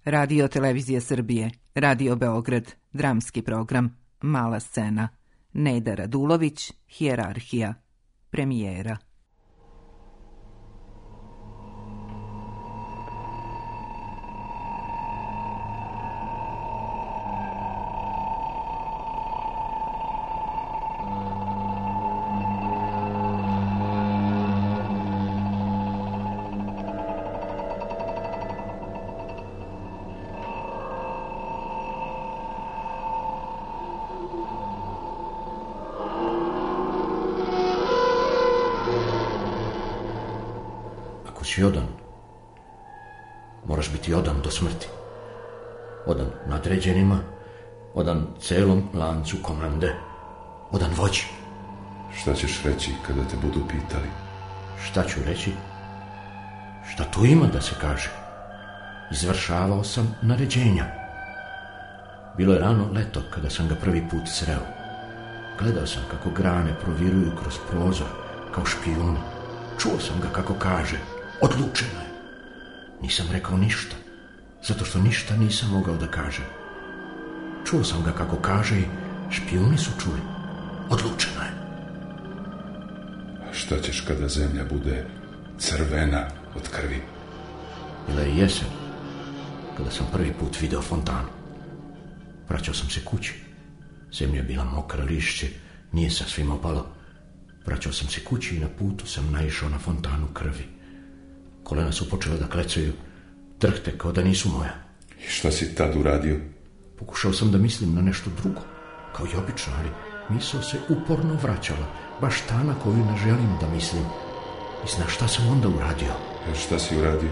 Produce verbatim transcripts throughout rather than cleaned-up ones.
Radio Televizije Srbije, Radio Beograd, dramski program, Mala scena, Neda Radulović, Hijerarhija, premijera. Si odan, moraš biti odan do smrti. Odan nadređenima, odan celom lancu komande, odan vođi. Šta ćeš reći kada te budu pitali? Šta ću reći? Šta tu ima da se kaže? Izvršavao sam naređenja. Bilo je rano leto kada sam ga prvi put sreo. Gledao sam kako grane proviruju kroz prozor kao špijuni. Čuo sam ga kako kaže: odlučeno je. Nisam rekao ništa, zato što ništa nisam mogao da kažem. Čuo sam ga kako kaže i špijuni su čuli: odlučeno je. A šta ćeš kada zemlja bude crvena od krvi? Bila je jesen, kada sam prvi put video fontanu. Vraćao sam se kući. Zemlja je bila mokra, lišće nije sasvim opalo. Vraćao sam se kući i na putu sam naišao na fontanu krvi. Kolena su počela da klecaju, drhte kao da nisu moja. I šta si tad uradio? Pokušao sam da mislim na nešto drugo, kao i obično, ali misao se uporno vraćala, baš ta na koju ne želim da mislim. I znaš šta sam onda uradio? E, šta si uradio?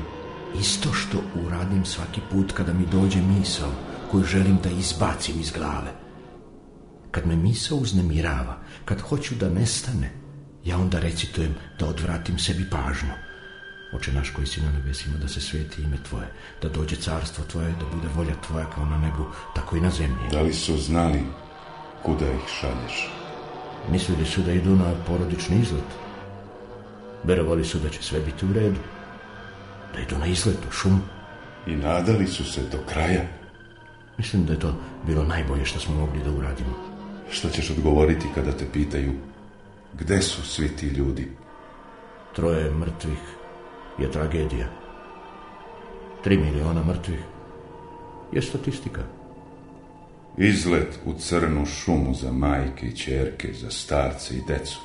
Isto što uradim svaki put kada mi dođe misao koju želim da izbacim iz glave. Kad me misao uznemirava, kad hoću da nestane, ja onda recitujem da odvratim sebi pažnju. Oče naš koji si na nebesima, da se sveti ime Tvoje, da dođe carstvo Tvoje, da bude volja Tvoja kao na nebu, tako i na zemlji. Da li su znali kuda ih šalješ? Mislili su da idu na porodični izlet. Verovali su da će sve biti u redu, da idu na izlet u šumu. I nadali su se do kraja. Mislim da je to bilo najbolje što smo mogli da uradimo. Šta ćeš odgovoriti kada te pitaju gde su svi ti ljudi? Troje mrtvih je tragedija. Tri miliona mrtvih je statistika. Izlet u crnu šumu za majke i ćerke, za starce i decu.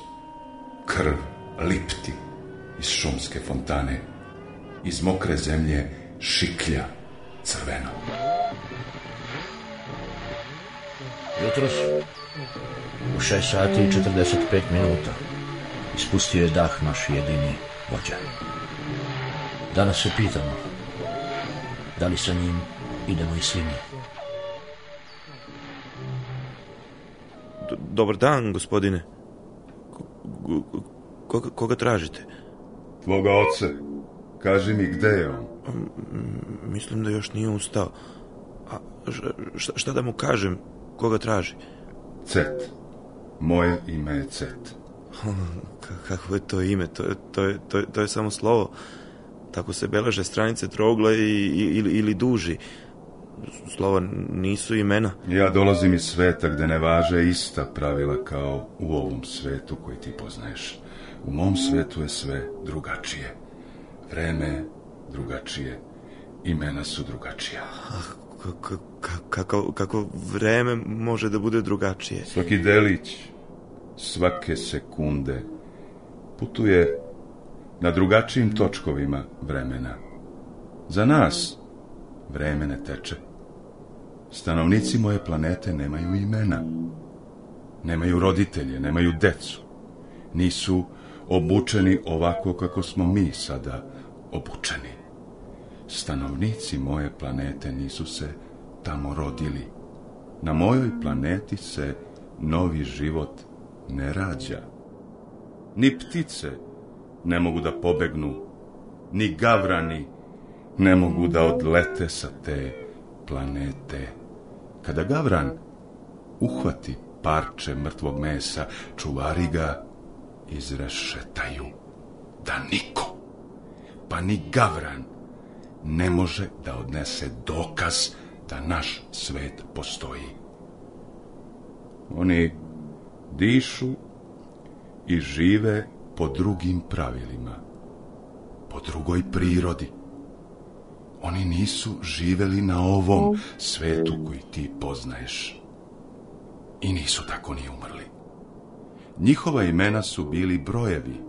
Krv lipti iz šumske fontane. Iz mokre zemlje šiklja crveno. Jutros u šest sati i četrdeset pet minuta ispustio je dah naš jedini vođa. Danas se pitamo da li sa njim idemo i svi mi. Dobar dan, gospodine. Koga, koga tražite? Tvoga oca. Kaži mi gde je on. Mislim da još nije ustao. A šta, šta da mu kažem? Koga traži? Cet. Moje ime je Cet. Kako je to ime? To je, to je, to je, to je samo slovo. Tako se beleže stranice trougla i, ili, ili duži. Slova nisu imena. Ja dolazim iz sveta gde ne važe ista pravila kao u ovom svetu koji ti poznaješ. U mom svetu je sve drugačije. Vreme je drugačije. Imena su drugačija. Kako, kako, kako vreme može da bude drugačije? Svaki delić, svake sekunde putuje na drugačijim točkovima vremena. Za nas vreme ne teče. Stanovnici moje planete nemaju imena. Nemaju roditelje, nemaju decu. Nisu obučeni ovako kako smo mi sada obučeni. Stanovnici moje planete nisu se tamo rodili. Na mojoj planeti se novi život ne rađa. Ni ptice ne mogu da pobegnu, ni gavrani ne mogu da odlete sa te planete. Kada gavran uhvati parče mrtvog mesa, čuvari ga izrešetaju, da niko, pa ni gavran, ne može da odnese dokaz da naš svet postoji. Oni dišu i žive po drugim pravilima, po drugoj prirodi. Oni nisu živeli na ovom svetu koji ti poznaješ. I nisu tako ni umrli. Njihova imena su bili brojevi.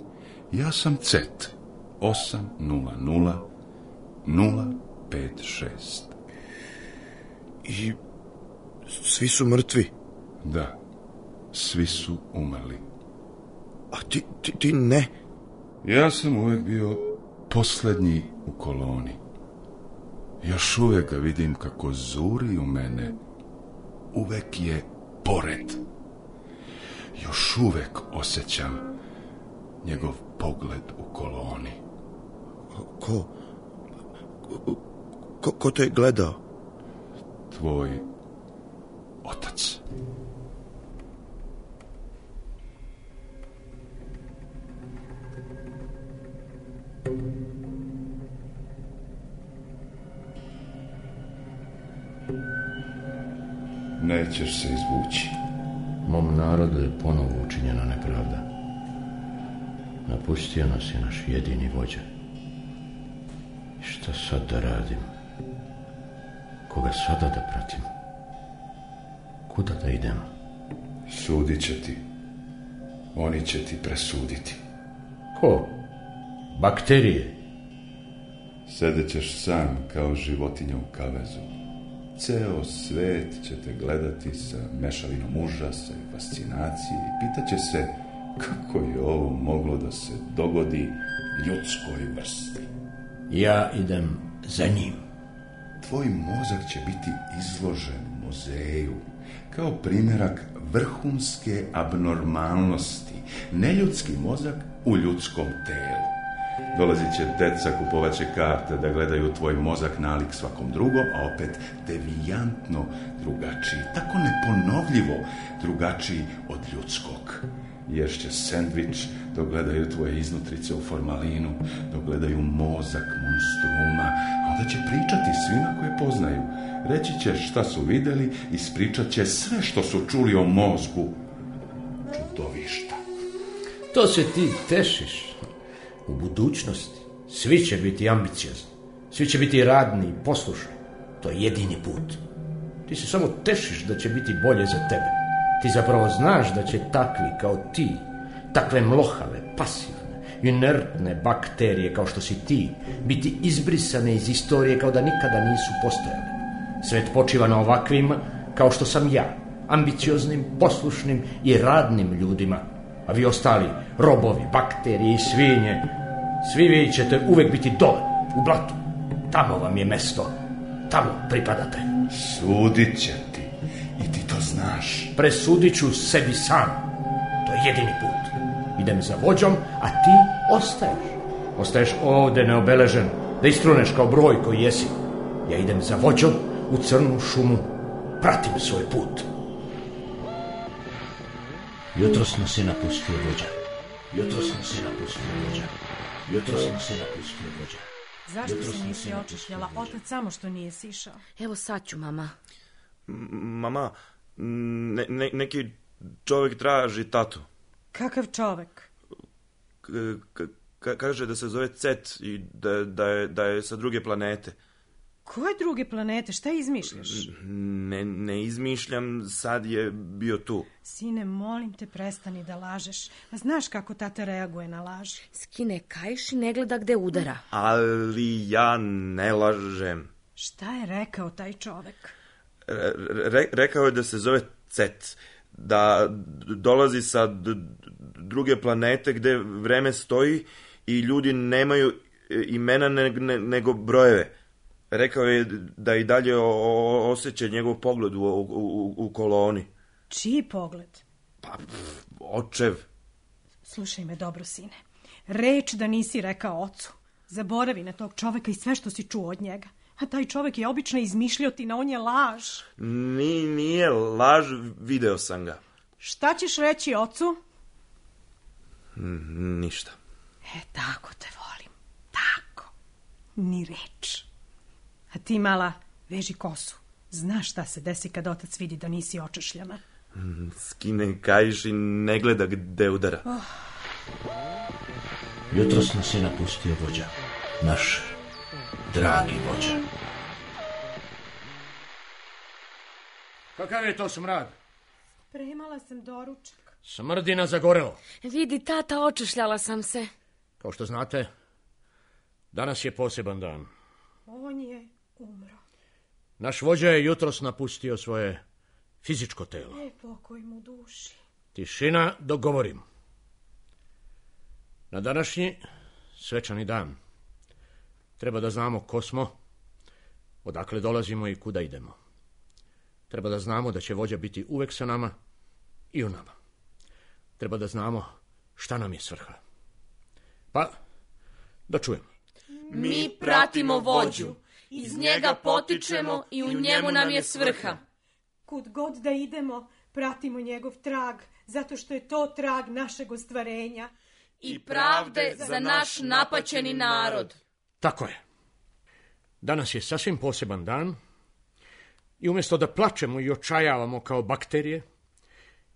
Ja sam Cet, osam nula nula nula pet šest. I svi su mrtvi? Da, svi su umrli. A ti, ti, ti ne? Ja sam uvek bio posljednji u koloni. Još uvek ga vidim kako zuri u mene. Uvek je pored. Još uvek osjećam njegov pogled u koloni. Ko? Ko, ko te je gledao? Tvoj otac. Nećeš se izvući. Mom narodu je ponovo učinjena nepravda. Napustio nas je naš jedini vođa. I šta sad da radim? Koga sada da pratim? Kuda da idem? Sudit će ti. Oni će ti presuditi. Ko? Bakterije? Sedećeš sam kao životinja u kavezu. Ceo svet će te gledati sa mešavinom užasa i fascinacije i pitaće se kako je ovo moglo da se dogodi ljudskoj vrsti. Ja idem za njim. Tvoj mozak će biti izložen u muzeju kao primjerak vrhunske abnormalnosti. Neljudski mozak u ljudskom telu. Dolazit će deca, kupovat će karte da gledaju tvoj mozak nalik svakom drugom, a opet devijantno drugačiji, tako neponovljivo drugačiji od ljudskog. Ješće sendvič dok gledaju tvoje iznutrice u formalinu, dok gledaju mozak monstruma, a onda će pričati svima koje poznaju. Reći će šta su videli, ispričat će sve što su čuli o mozgu čudovišta. To se ti tešiš. U budućnosti svi će biti ambiciozni, svi će biti radni i poslušni. To je jedini put. Ti se samo tešiš da će biti bolje za tebe. Ti zapravo znaš da će takvi kao ti, takve mlohave, pasivne, inertne bakterije kao što si ti, biti izbrisane iz istorije kao da nikada nisu postojale. Svet počiva na ovakvim kao što sam ja, ambicioznim, poslušnim i radnim ljudima. A vi ostali, robovi, bakterije i svinje, svi vi ćete uvek biti dole, u blatu. Tamo vam je mesto, tamo pripadate. Sudit će ti i ti to znaš. Presudit ću sebi sam, to je jedini put. Idem za vođom, a ti ostaješ. Ostaješ ovde neobeležen, da istruneš kao broj koji jesi. Ja idem za vođom u crnu šumu, pratim svoj put. Jutros nas je napustio vođa. Jutros nas je napustio vođa. Jutros nas je napustio vođa. Zašto se nisi očišljala? Otac samo što nije sišao. Evo sad ću, mama. M- mama, ne, ne, neki čovjek traži tatu. Kakav čovek? K- k- kaže da se zove Cet i da, da, je, da je sa druge planete. Koje druge planete? Šta izmišljaš? Ne, ne izmišljam, sad je bio tu. Sine, molim te, prestani da lažeš. A znaš kako tata reaguje na laž? Skine kaiš i ne gleda gde udara. Ali ja ne lažem. Šta je rekao taj čovek? Re, rekao je da se zove Cet, da dolazi sa d- druge planete gde vreme stoji i ljudi nemaju imena ne, ne, nego brojeve. Rekao je da i dalje o, o, osjeća njegov pogled u, u, u, u koloni. Čiji pogled? Pa, pff, očev. Slušaj me dobro, sine. Reč da nisi rekao ocu. Zaboravi na tog čoveka i sve što si čuo od njega. A taj čovek je obično izmišljotina, on je laž. Ni, nije laž, video sam ga. Šta ćeš reći ocu? N- ništa. E, tako te volim. Tako. Ni reč. A ti, mala, veži kosu. Znaš šta se desi kad otac vidi da nisi očešljana. Skine kaiš i ne gleda gde udara. Oh. Jutros nas je napustio vođa. Naš dragi vođa. Kakav je to smrad? Spremala sam doručak. Smrdina zagorelo. Vidi, tata, očešljala sam se. Kao što znate, danas je poseban dan. On je umro. Naš vođa je jutros napustio svoje fizičko telo. E, pokoj mu duši. Tišina dok govorim. Na današnji svečani dan treba da znamo ko smo, odakle dolazimo i kuda idemo. Treba da znamo da će vođa biti uvek sa nama i u nama. Treba da znamo šta nam je svrha. Pa, da čujemo. Mi pratimo vođu, iz njega potičemo i u njemu nam je svrha. Kud god da idemo, pratimo njegov trag, zato što je to trag našeg ostvarenja. I pravde za naš napaćeni narod. Tako je. Danas je sasvim poseban dan i umjesto da plačemo i očajavamo kao bakterije,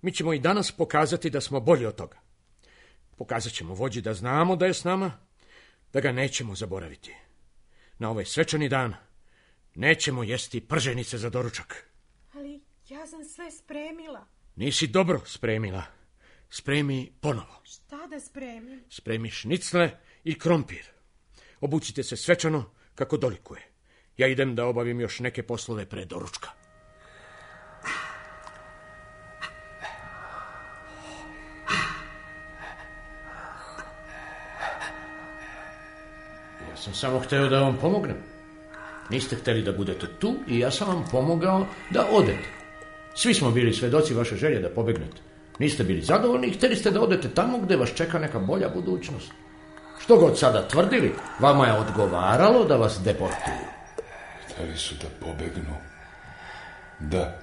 mi ćemo i danas pokazati da smo bolji od toga. Pokazat ćemo vođi da znamo da je s nama, da ga nećemo zaboraviti. Na ovaj svečani dan nećemo jesti prženice za doručak. Ali ja sam sve spremila. Nisi dobro spremila. Spremi ponovo. Šta da spremim? Spremi šnicle i krompir. Obucite se svečano kako dolikuje. Ja idem da obavim još neke poslove pre doručka. Ja sam samo hteo da vam pomognem. Niste hteli da budete tu i ja sam vam pomogao da odete. Svi smo bili svedoci vaše želje da pobegnete. Niste bili zadovoljni i htjeli ste da odete tamo gde vas čeka neka bolja budućnost. Što god sada tvrdili, vama je odgovaralo da vas deportuju. Htjeli su da pobegnu. Da.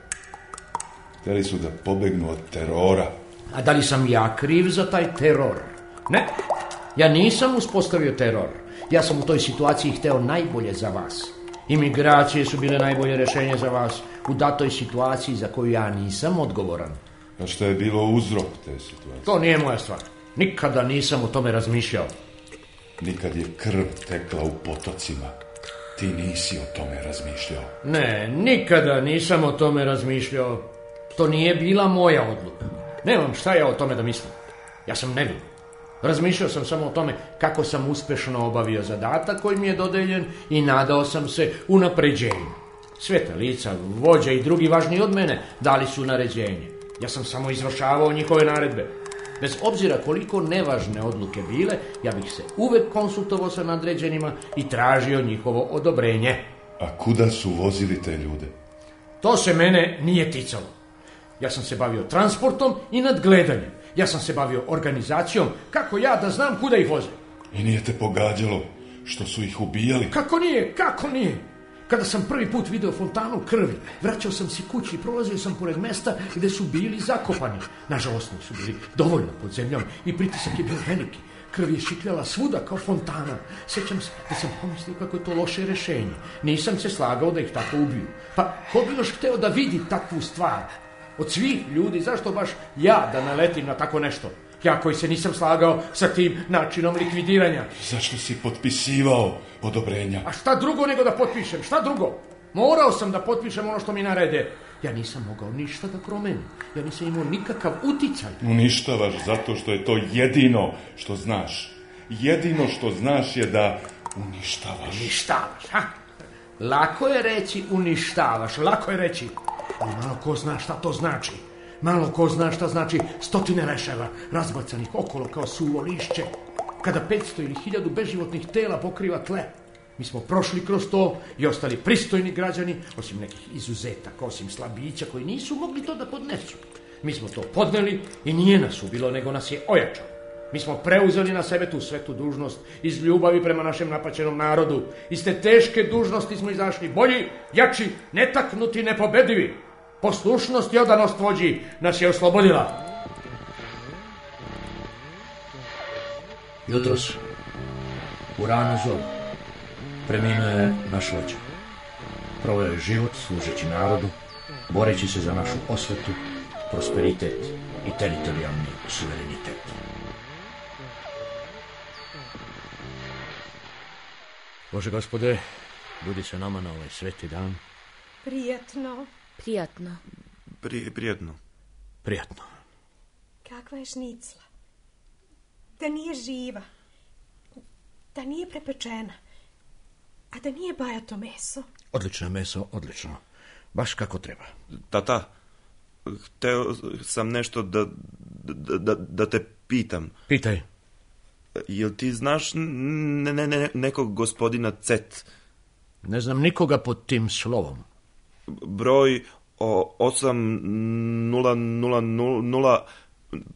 Htjeli su da pobegnu od terora. A da li sam ja kriv za taj teror? Ne. Ja nisam uspostavio teror. Ja sam u toj situaciji hteo najbolje za vas. Imigracije su bile najbolje rešenje za vas u datoj situaciji za koju ja nisam odgovoran. A šta je bilo uzrok te situacije? To nije moja stvar. Nikada nisam o tome razmišljao. Nikad je krv tekla u potocima. Ti nisi o tome razmišljao. Ne, nikada nisam o tome razmišljao. To nije bila moja odluka. Nemam šta ja o tome da mislim. Ja sam nevin. Razmišljao sam samo o tome kako sam uspešno obavio zadatak koji mi je dodeljen i nadao sam se unapređenju. Sveta lica, vođa i drugi važni od mene dali su naređenje. Ja sam samo izvršavao njihove naredbe. Bez obzira koliko nevažne odluke bile, ja bih se uvek konsultovao sa nadređenima i tražio njihovo odobrenje. A kuda su vozili te ljude? To se mene nije ticalo. Ja sam se bavio transportom i nadgledanjem. Ja sam se bavio organizacijom, kako ja da znam kuda ih voze. I nije te pogađalo što su ih ubijali? Kako nije, kako nije? Kada sam prvi put video fontanu krvi, vraćao sam se kući i prolazio sam pored mesta gde su bili zakopani. Nažalost, nisu bili dovoljno pod zemljom i pritisak je bio veliki. Krv je šikljala svuda kao fontana. Sjećam se da sam pomislio kako je to loše rešenje. Nisam se slagao da ih tako ubiju. Pa ko bi još hteo da vidi takvu stvar? Od svih ljudi, zašto baš ja da naletim na tako nešto? Ja koji se nisam slagao sa tim načinom likvidiranja. Zašto si potpisivao odobrenja? A šta drugo nego da potpišem? Šta drugo? Morao sam da potpišem ono što mi narede. Ja nisam mogao ništa da promenim. Ja nisam imao nikakav uticaj. Uništavaš zato što je to jedino što znaš. Jedino što znaš je da uništavaš. Uništavaš, ha? Lako je reći uništavaš, lako je reći. Ali malo ko zna šta to znači. Malo ko zna šta znači stotine leševa razbacanih okolo kao suvo lišće. Kada petsto ili hiljadu beživotnih tela pokriva tle. Mi smo prošli kroz to i ostali pristojni građani, osim nekih izuzetaka, osim slabića koji nisu mogli to da podnesu. Mi smo to podneli i nije nas ubilo, nego nas je ojačalo. Mi smo preuzeli na sebe tu svetu dužnost iz ljubavi prema našem napaćenom narodu. Iz te teške dužnosti smo izašli bolji, jači, netaknuti, nepobedivi. Poslušnost i odanost vođi nas je oslobodila. Jutros, u ranu zoru, preminuo je naš vođa. Proveo je život služeći narodu, boreći se za našu osvetu, prosperitet i teritorijalni suverenitet. Bože gospode, budi sa nama na ovaj sveti dan. Prijatno. Prijatno. Pri, prijatno. Prijatno. Kakva je šnicla? Da nije živa. Da nije prepečena. A da nije bajato meso. Odlično meso, odlično. Baš kako treba. Tata, hteo sam nešto da, da, da, da te pitam. Pitaj. Jel ti znaš ne, ne, ne, nekog gospodina Cet? Ne znam nikoga pod tim slovom. Broj o osam nula nula nula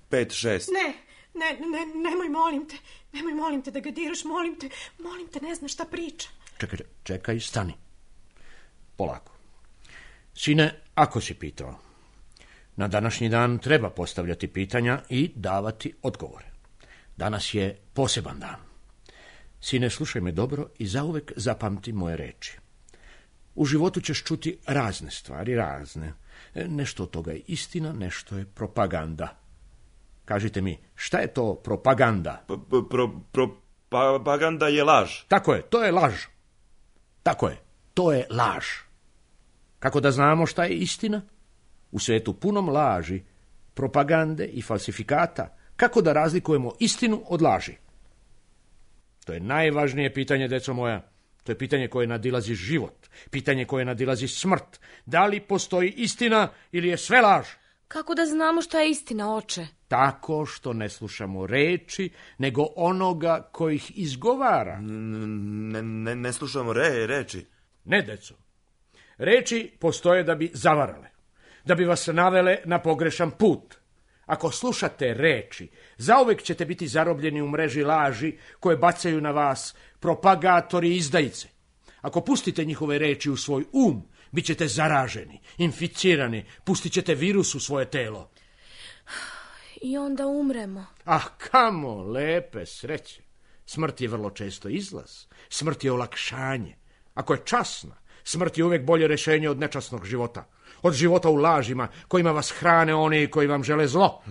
pet šest. Ne, ne, ne, nemoj, molim te. Nemoj, molim te da ga diraš, molim te. Molim te, ne znaš šta priča. Čekaj, čekaj, stani. Polako. Sine, ako si pitao, na današnji dan treba postavljati pitanja i davati odgovore. Danas je poseban dan. Sine, slušaj me dobro i zauvek zapamti moje reči. U životu ćeš čuti razne stvari, razne. Nešto od toga je istina, nešto je propaganda. Kažite mi, šta je to propaganda? Pro, propaganda je laž. Tako je, to je laž. Tako je, to je laž. Kako da znamo šta je istina? U svetu punom laži, propagande i falsifikata, kako da razlikujemo istinu od laži? To je najvažnije pitanje, deco moja. To je pitanje koje nadilazi život, pitanje koje nadilazi smrt. Da li postoji istina ili je sve laž? Kako da znamo šta je istina, oče? Tako što ne slušamo reči, nego onoga koji ih izgovara. Ne, ne, ne slušamo re, reči. Ne, deco. Reči postoje da bi zavarale, da bi vas navele na pogrešan put. Ako slušate reči, zauvek ćete biti zarobljeni u mreži laži koje bacaju na vas propagatori i izdajice. Ako pustite njihove reči u svoj um, bit ćete zaraženi, inficirani, pustit ćete virus u svoje telo. I onda umremo. Ah, kamo, lepe sreće. Smrt je vrlo često izlaz. Smrt je olakšanje. Ako je časna, smrt je uvijek bolje rješenje od nečasnog života. Od života u lažima, kojima vas hrane oni koji vam žele zlo.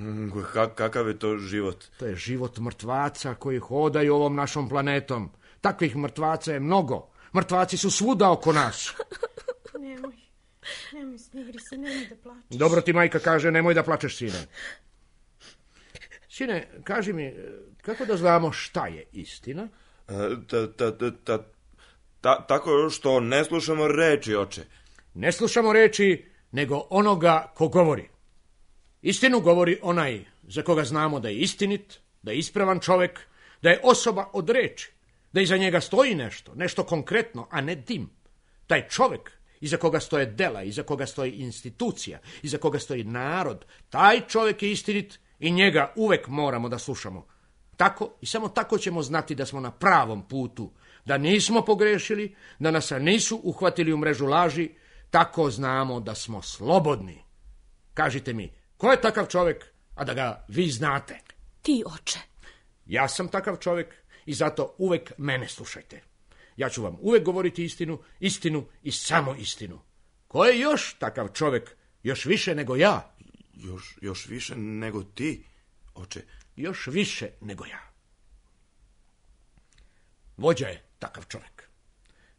Ka- kakav je to život? To je život mrtvaca koji hodaju ovom našom planetom. Takvih mrtvaca je mnogo. Mrtvaci su svuda oko nas. Nemoj, nemoj, smiri se, nemoj da plačeš. Dobro ti majka kaže, nemoj da plačeš, sine. Sine, kaži mi, kako da znamo šta je istina? Ta, ta, ta, ta, ta, tako što ne slušamo reči, oče. Ne slušamo reči, nego onoga ko govori. Istinu govori onaj za koga znamo da je istinit, da je ispravan čovjek, da je osoba od reči, da iza njega stoji nešto, nešto konkretno, a ne dim. Taj čovjek iza koga stoje dela, iza koga stoji institucija, iza koga stoji narod, taj čovjek je istinit i njega uvek moramo da slušamo. Tako i samo tako ćemo znati da smo na pravom putu, da nismo pogrešili, da nas nisu uhvatili u mrežu laži, tako znamo da smo slobodni. Kažite mi, ko je takav čovjek, a da ga vi znate? Ti, oče. Ja sam takav čovjek i zato uvek mene slušajte. Ja ću vam uvek govoriti istinu, istinu i samo istinu. Ko je još takav čovjek, još više nego ja? Još, još više nego ti, oče. Još više nego ja. Vođa je takav čovjek.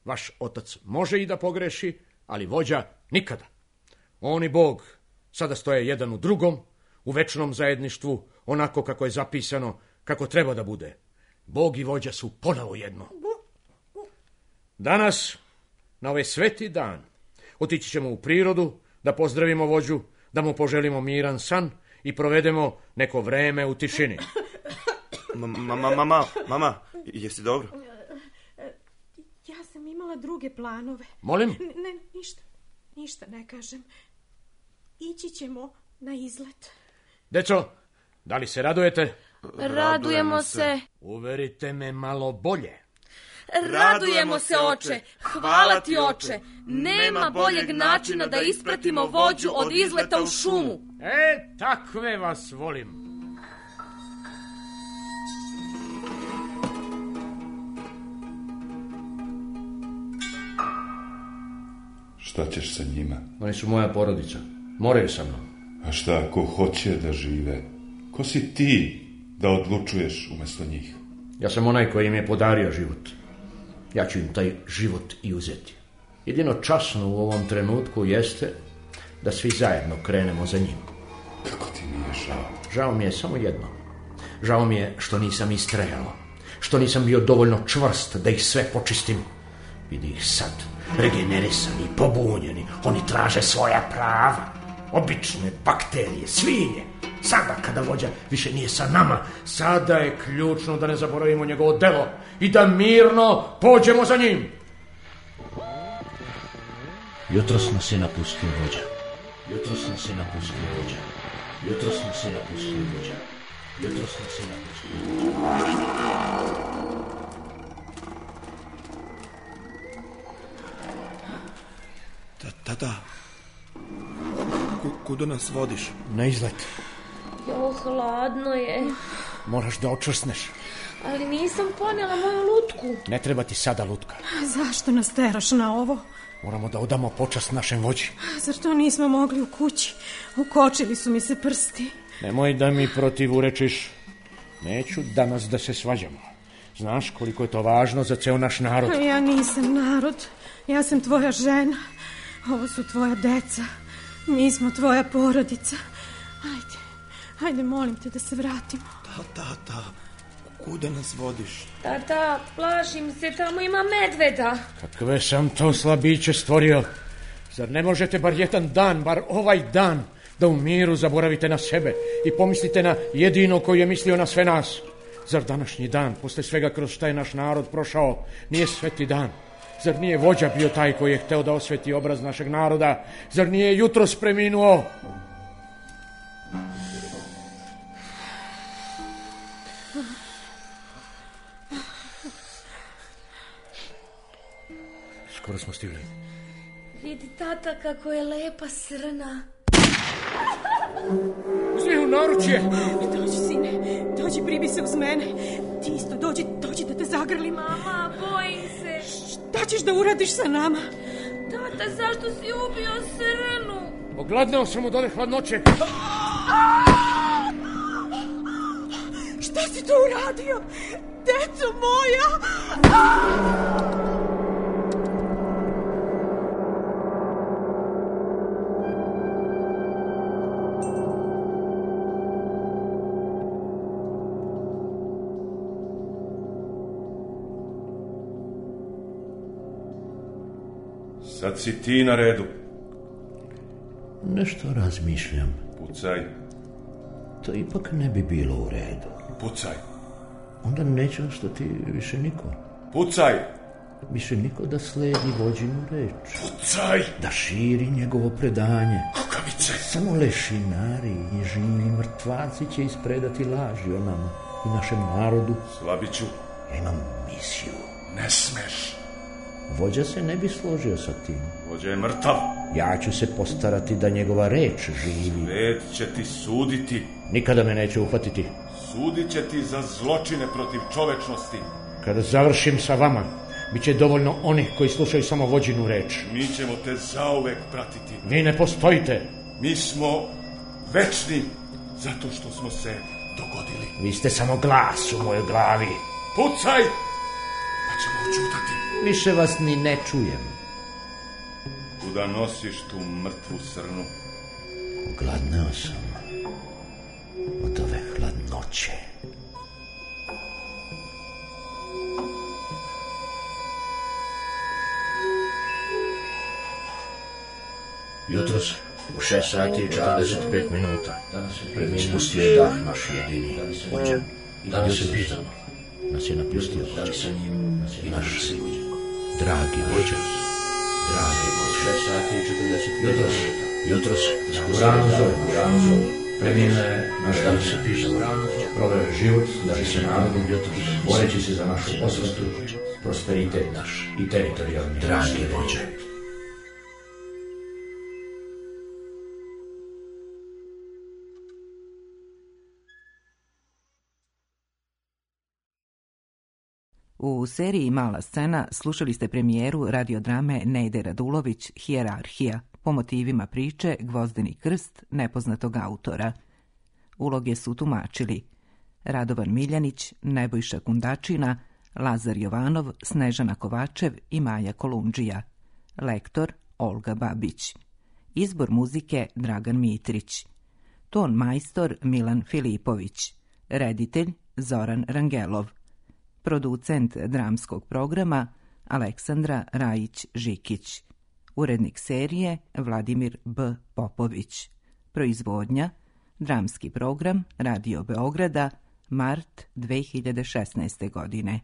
Vaš otac može i da pogreši, ali vođa nikada. On i Bog sada stoje jedan u drugom, u večnom zajedništvu, onako kako je zapisano, kako treba da bude. Bog i vođa su ponovo jedno. Danas, na ovaj sveti dan, otići ćemo u prirodu, da pozdravimo vođu, da mu poželimo miran san i provedemo neko vreme u tišini. Mama, mama, mama, jesi dobro? Ja sam imala druge planove. Molim? Ne, ništa, ništa ne kažem. Ići ćemo na izlet. Deco, da li se radujete? Radujemo se. Uverite me malo bolje. Radujemo se, oče. Hvala ti, oče. Nema boljeg načina da ispratimo vođu od izleta u šumu. E, takve vas volim. Šta ćeš sa njima? Oni su moja porodica. Moraju sa mnom. A šta ako hoće da žive? Ko si ti da odlučuješ umjesto njih? Ja sam onaj koji im je podario život. Ja ću im taj život i uzeti. Jedino časno u ovom trenutku jeste da svi zajedno krenemo za njim. Kako ti nije žao? Žao mi je samo jedno. Žao mi je što nisam istrajao. Što nisam bio dovoljno čvrst da ih sve počistim. Vidi ih sad, regenerisani, pobunjeni. Oni traže svoja prava. Obične bakterije, svinje. Sada kada vođa više nije sa nama, sada je ključno da ne zaboravimo njegovo delo i da mirno pođemo za njim. Jutros nas je napustio vođa. Jutros nas je napustio vođa. Jutros nas je napustio vođa. Jutros nas je napustio vođa. Tata, kuda nas vodiš? Na izlet. Jo, hladno je. Moraš da očvrsneš. Ali nisam ponela moju lutku. Ne treba ti sada lutka. Zašto nas teraš na ovo? Moramo da odamo počast našem vođi. Zar to nismo mogli u kući? Ukočili su mi se prsti. Nemoj da mi protivurečiš. Neću danas da se svađamo. Znaš koliko je to važno za ceo naš narod. Ja nisam narod. Ja sam tvoja žena. Ovo su tvoja deca. Mi smo tvoja porodica. Ajde, ajde, molim te da se vratimo. Tata, tata, kuda nas vodiš? Tata, plašim se, tamo ima medveda. Kakve sam to slabiće stvorio. Zar ne možete bar jedan dan, bar ovaj dan, da u miru zaboravite na sebe i pomislite na jedino koji je mislio na sve nas? Zar današnji dan, posle svega kroz šta je naš narod prošao, nije sveti dan? Zar nije vođa bio taj koji je hteo da osveti obraz našeg naroda? Zar nije jutros preminuo? Skoro smo stigli. Vidi, tata, kako je lepa srna. Uzmi u naručje. Dođi, sine, dođi, pribi se uz mene. Ti isto, dođi, dođi da te zagrlim. Mama, bojim se. Šta ćeš da uradiš sa nama? Tata, zašto si ubio srnu? Ogladneo sam od ove hladnoće. Šta si to uradio? Deco moja! Sad si ti na redu. Nešto razmišljam. Pucaj. To ipak ne bi bilo u redu. Pucaj. Onda neće ostati više niko. Pucaj. Više niko da sledi vođinu reč. Pucaj. Da širi njegovo predanje. Kukavice. Samo lešinari i živi mrtvaci će ispredati laži o nama i našem narodu. Slabiću. Ja imam misiju. Ne smeš. Vođa se ne bi složio sa tim. Vođa je mrtav. Ja ću se postarati da njegova reč živi. Svet će ti suditi. Nikada me neće uhvatiti. Sudit će ti za zločine protiv čovečnosti. Kada završim sa vama, bit će dovoljno onih koji slušaju samo vođinu reč. Mi ćemo te zauvek pratiti. Vi ne postojite. Mi smo večni zato što smo se dogodili. Vi ste samo glas u mojoj glavi. Pucaj! Pa ćemo očutati. Više vas ni ne čujem. Kuda nosiš tu mrtvu srnu? Ogladneo sam od ove hladnoće. Jutros u šest sati i četrdeset pet minuta ispustio je dah naš jedini vođa. Danas se pitamo. Nas je napustio vođa. I naš Dragi vođa. dragi vođa. šest sati i četrdeset pet minuta. Jutros u ranu zove, u ranu zove. Preminuo je naš danas se pitamo. Proveo je život da bi se narodom jutros, boreći se za našu osvetu, prosperitet naš i teritorijalni. Dragi vođa. U seriji Mala scena slušali ste premijeru radiodrame Nejde Radulović Hijerarhija po motivima priče Gvozdeni krst nepoznatog autora. Uloge su tumačili Radovan Miljanić, Nebojša Kundačina, Lazar Jovanov, Snežana Kovačev i Maja Kolundžija. Lektor Olga Babić. Izbor muzike Dragan Mitrić. Ton majstor Milan Filipović. Reditelj Zoran Rangelov. Producent dramskog programa Aleksandra Rajić-Žikić. Urednik serije Vladimir B. Popović. Proizvodnja Dramski program Radio Beograda, mart dve hiljade šesnaeste. godine.